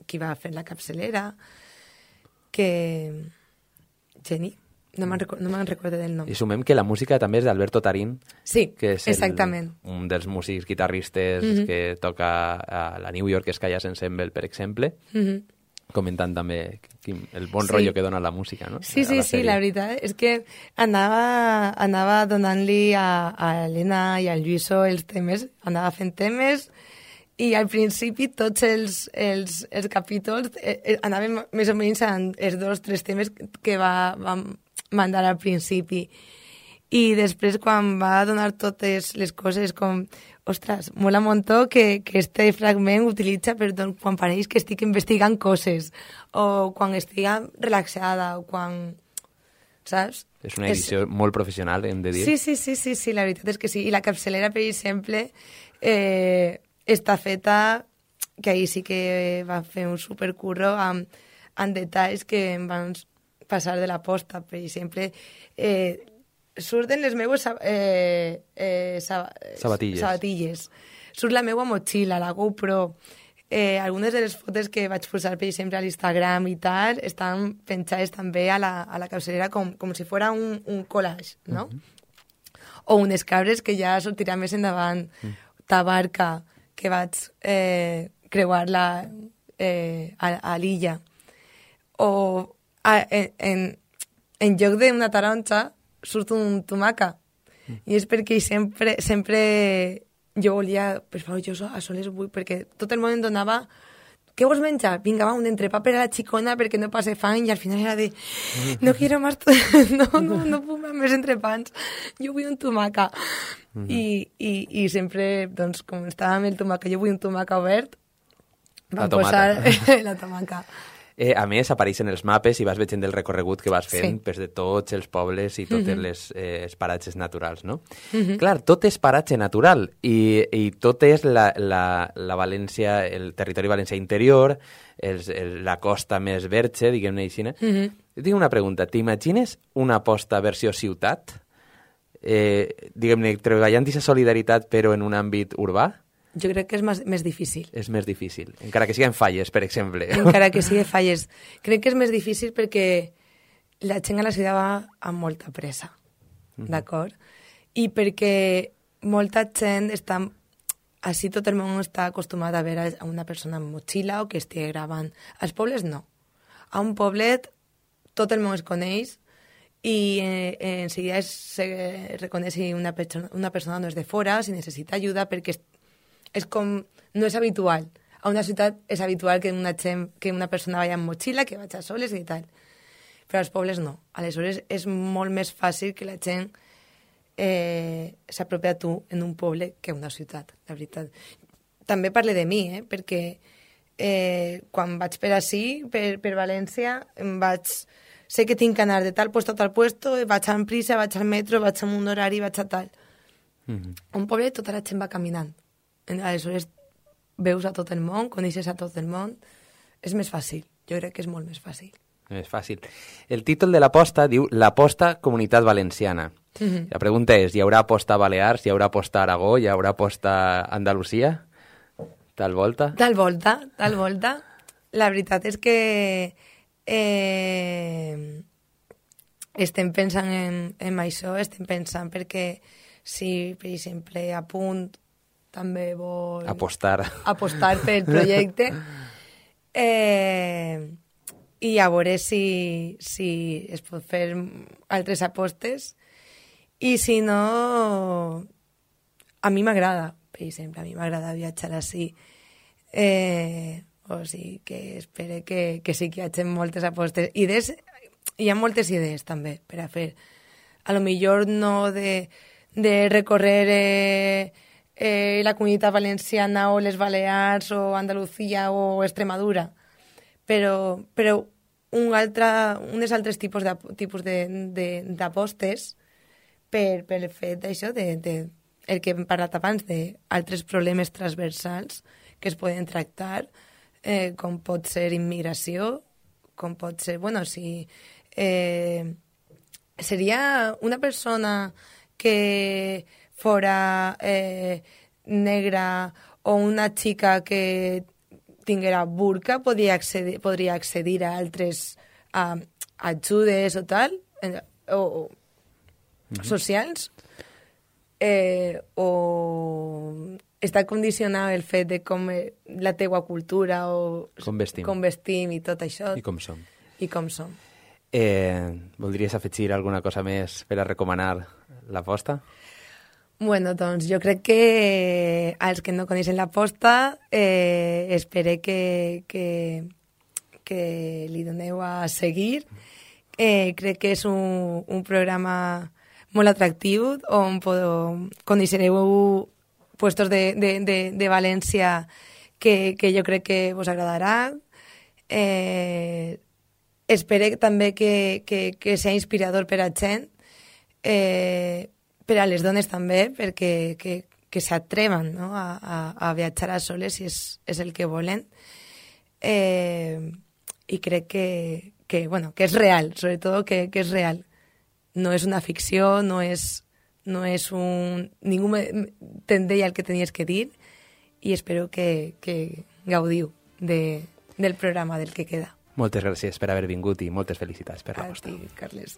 qui va fer la capçalera, que... Geni. No me'n recordo del nom. I sumem que la música també és d'Alberto Tarín, sí, que és exactament. Un dels músics guitarristes que toca a la New York Skyas Ensemble, per exemple, comentant també el bon rotllo que dona la música, no? Sí, la veritat és que anava donant-li a Helena i al Lluïso els temes, anava fent temes, i al principi tots els capítols anaven més o menys els 2 o 3 temes que vam mandar al principi. I després, quan va donar totes les coses, com, ostres, mola un muntó que este fragment utilitza per quan pareix que estic investigant coses, o quan estic relaxada, o quan... Saps? És una edició molt professional, hem de dir. Sí, la veritat és que sí. I la capçalera, per exemple, està feta, que ahir sí que va fer un supercurro amb detalls que em van passar de la posta. Per exemple, surten les meues sabatilles. Surt la meua motxilla, la GoPro. Algunes de les fotos que vaig posar, per exemple, a l'Instagram i tal, estan penjades també a la capçalera com si fos un collage, no? o unes cabres que ja sortirà més endavant, Tabarca, que vaig creuar-la a l'illa, o en lloc d'una taronja surt un tomaca, i és perquè sempre jo volia, per favor, jo a soles vull, perquè tot el món em donava què vols menjar? Vinga, va, un entrepà per a la xicona perquè no passe fang, i al final era de no quiero más, no puc més entrepans, jo vull un tomaca. I sempre, doncs, com estava amb el tomaca, jo vull un tomaca obert, vam posar la tomaca. A més, apareixen els mapes i vas veient el recorregut que vas fent de tots els pobles i totes les paratges naturals, no? Clar, tot és paratge natural i tot és la València, el territori valencià interior, la costa més verge, diguem-ne així. Jo tinc una pregunta. T'imagines una posta versió ciutat? Diguem-ne, treballant aquesta solidaritat però en un àmbit urbà? Jo crec que és més difícil. És més difícil, encara que siguin falles, per exemple. Encara que siguin falles. Crec que és més difícil perquè la gent a la ciutat va amb molta pressa, d'acord? I perquè molta gent està... Així tot el món està acostumat a veure a una persona amb motxilla o que estigui gravant. Als pobles no. A un poblet tot el món es coneix i en seguida se reconeix si una persona no és de fora, si necessita ajuda, perquè és com... No és habitual. A una ciutat és habitual que una persona vagi amb motxilla, que vagi a soles i tal. Però als pobles no. Aleshores és molt més fàcil que la gent s'apropi a tu en un poble que a una ciutat, la veritat. També parle de mi, perquè quan vaig per ací, per València, sé que tinc que anar de tal puesto a tal puesto, vaig amb prisa, vaig al metro, vaig amb un horari, vaig a tal. Un poble tota la gent va caminant. Aleshores veus a tot el món, coneixes a tot el món, és més fàcil, jo crec que és molt més fàcil. És fàcil. El títol de l'aposta diu l'Aposta Comunitat Valenciana. La pregunta és, hi haurà aposta a Balears, hi haurà aposta a Aragó, hi haurà aposta a Andalusia? Tal volta? Tal volta. La veritat és que estem pensant en això, estem pensant perquè si, per exemple, a Punt també vol apostar pel projecte i a veure si es pot fer altres apostes, i si no, a mi m'agrada, per exemple, a mi m'agrada viatjar així, o sigui que espero que sí que hi hagi moltes apostes. Hi ha moltes idees també per a fer, a lo millor no de recórrer la Comunitat Valenciana o les Balears o Andalusia o Extremadura, però unes altres tipus d'apostes per el fet d'això, el que hem parlat abans, d'altres problemes transversals que es poden tractar, com pot ser immigració, com pot ser... Bueno, si seria una persona que fora negra o una xica que tinguera burca podria accedir a altres ajudes o tal, o socials, o està condicionat el fet de com la teua cultura o com vestim i tot això. I com som. Voldries afegir alguna cosa més per a recomanar l'aposta? Bueno, doncs jo crec que als que no coneixen l'aposta espero que li doneu a seguir. Crec que és un programa molt atractiu on coneixereu puestos de València que jo crec que vos agradarà. Espero també que sigui inspirador per a gent, per a les dones també, perquè que s'atreven, no? a viatjar a soles si és el que volen. I crec que és real, sobretot que és real. No és una ficció, no és un... Ningú te'n deia el que tenies que dir, i espero que gaudiu del programa, del que queda. Moltes gràcies per haver vingut i moltes felicitats per l'aposta. A ti, Carles.